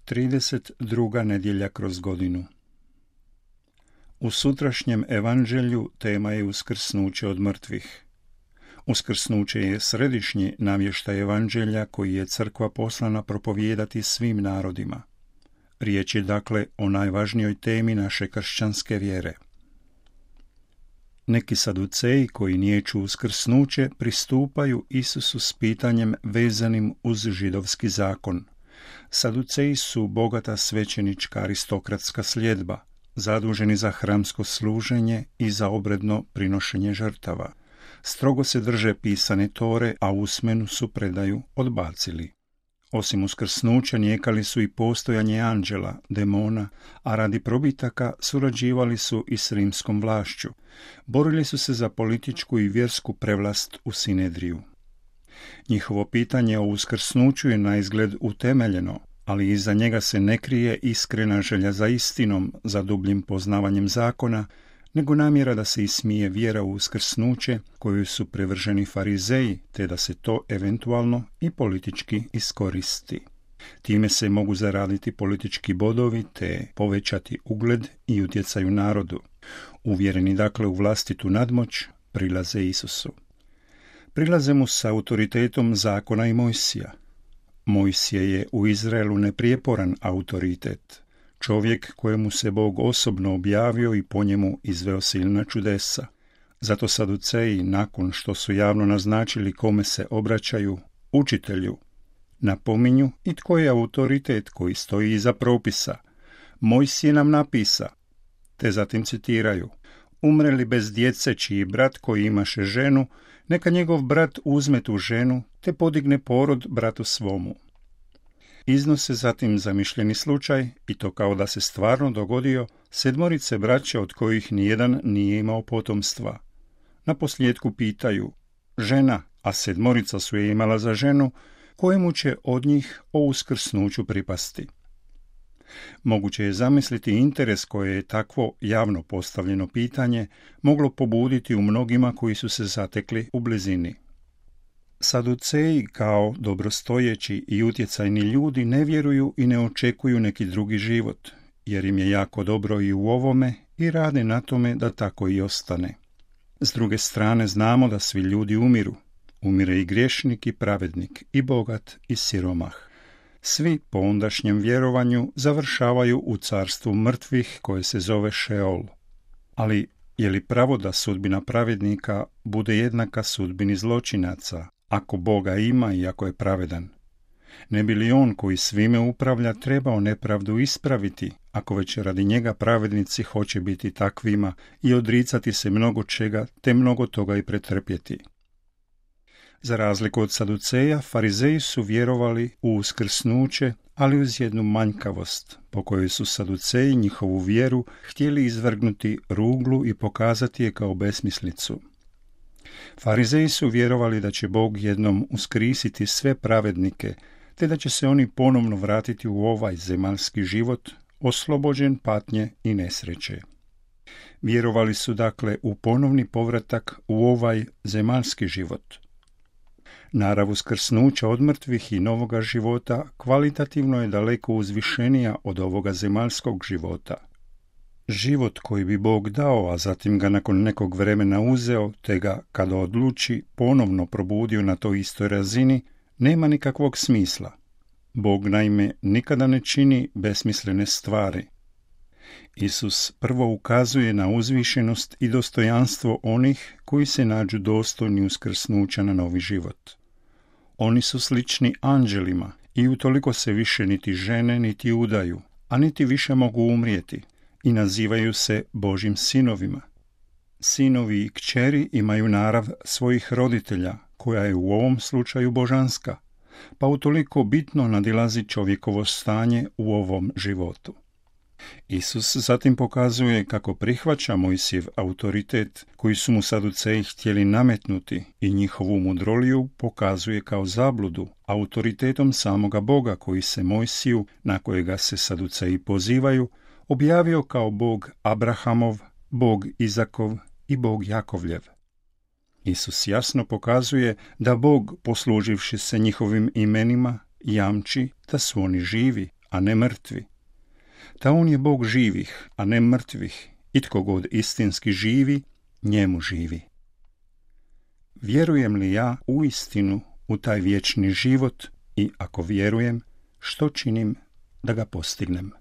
32. nedjelja kroz godinu. U sutrašnjem evanđelju tema je uskrsnuće od mrtvih. Uskrsnuće je središnji navještaj evanđelja koji je crkva poslana propovijedati svim narodima. Riječ je dakle o najvažnijoj temi naše kršćanske vjere. Neki saduceji koji niječu uskrsnuće pristupaju Isusu s pitanjem vezanim uz židovski zakon. Saduceji su bogata svećenička aristokratska sljedba, zaduženi za hramsko služenje i za obredno prinošenje žrtava. Strogo se drže pisane tore, a usmenu su predaju odbacili. Osim uskrsnuća nijekali su i postojanje anđela, demona, a radi probitaka surađivali su i s rimskom vlašću. Borili su se za političku i vjersku prevlast u Sinedriju. Njihovo pitanje o uskrsnuću je naizgled utemeljeno, ali iza njega se ne krije iskrena želja za istinom, za dubljim poznavanjem zakona, nego namjera da se ismije vjera u uskrsnuće koju su privrženi farizeji, te da se to eventualno i politički iskoristi. Time se mogu zaraditi politički bodovi te povećati ugled i utjecaj u narodu. Uvjereni dakle u vlastitu nadmoć, prilaze Isusu. Prilaze mu s autoritetom zakona i Mojsija. Mojsije je u Izraelu neprijeporan autoritet, čovjek kojemu se Bog osobno objavio i po njemu izveo silna čudesa. Zato saduceji, nakon što su javno naznačili kome se obraćaju, učitelju, napominju i tko je autoritet koji stoji iza propisa. Mojsije nam napisa, te zatim citiraju: umre li bez djece čiji brat koji imaše ženu, neka njegov brat uzme tu ženu, te podigne porod bratu svomu. Iznose zatim zamišljeni slučaj, i to kao da se stvarno dogodio, 7 braće od kojih nijedan nije imao potomstva. Naposljetku pitaju: žena, a 7 su je imala za ženu, kojemu će od njih o uskrsnuću pripasti? Moguće je zamisliti interes koje je takvo javno postavljeno pitanje moglo pobuditi u mnogima koji su se zatekli u blizini. Saduceji kao dobrostojeći i utjecajni ljudi ne vjeruju i ne očekuju neki drugi život, jer im je jako dobro i u ovome i rade na tome da tako i ostane. S druge strane znamo da svi ljudi umiru. Umire i griješnik i pravednik, i bogat i siromah. Svi po ondašnjem vjerovanju završavaju u carstvu mrtvih koje se zove Šeol. Ali je li pravo da sudbina pravednika bude jednaka sudbini zločinaca, ako Boga ima i ako je pravedan? Ne bi li on koji svime upravlja trebao nepravdu ispraviti, ako već radi njega pravednici hoće biti takvima i odricati se mnogo čega, te mnogo toga i pretrpjeti? Za razliku od saduceja, farizeji su vjerovali u uskrsnuće, ali uz jednu manjkavost, po kojoj su saduceji njihovu vjeru htjeli izvrgnuti ruglu i pokazati je kao besmislicu. Farizeji su vjerovali da će Bog jednom uskrisiti sve pravednike, te da će se oni ponovno vratiti u ovaj zemaljski život, oslobođen patnje i nesreće. Vjerovali su dakle u ponovni povratak u ovaj zemaljski život. Narav uskrsnuća od mrtvih i novoga života kvalitativno je daleko uzvišenija od ovoga zemaljskog života. Život koji bi Bog dao, a zatim ga nakon nekog vremena uzeo, te ga, kada odluči, ponovno probudio na toj istoj razini, nema nikakvog smisla. Bog naime nikada ne čini besmislene stvari. Isus prvo ukazuje na uzvišenost i dostojanstvo onih koji se nađu dostojni uskrsnuća na novi život. Oni su slični anđelima i utoliko se više niti žene niti udaju, a niti više mogu umrijeti, i nazivaju se Božjim sinovima. Sinovi i kćeri imaju narav svojih roditelja, koja je u ovom slučaju božanska, pa utoliko bitno nadilazi čovjekovo stanje u ovom životu. Isus zatim pokazuje kako prihvaća Mojsijev autoritet koji su mu saduceji htjeli nametnuti i njihovu mudroliju pokazuje kao zabludu autoritetom samoga Boga koji se Mojsiju, na kojega se saduceji pozivaju, objavio kao Bog Abrahamov, Bog Izakov i Bog Jakovljev. Isus jasno pokazuje da Bog, posluživši se njihovim imenima, jamči da su oni živi, a ne mrtvi. Ta on je Bog živih, a ne mrtvih, i tko god istinski živi, njemu živi. Vjerujem li ja uistinu u taj vječni život i ako vjerujem, što činim da ga postignem?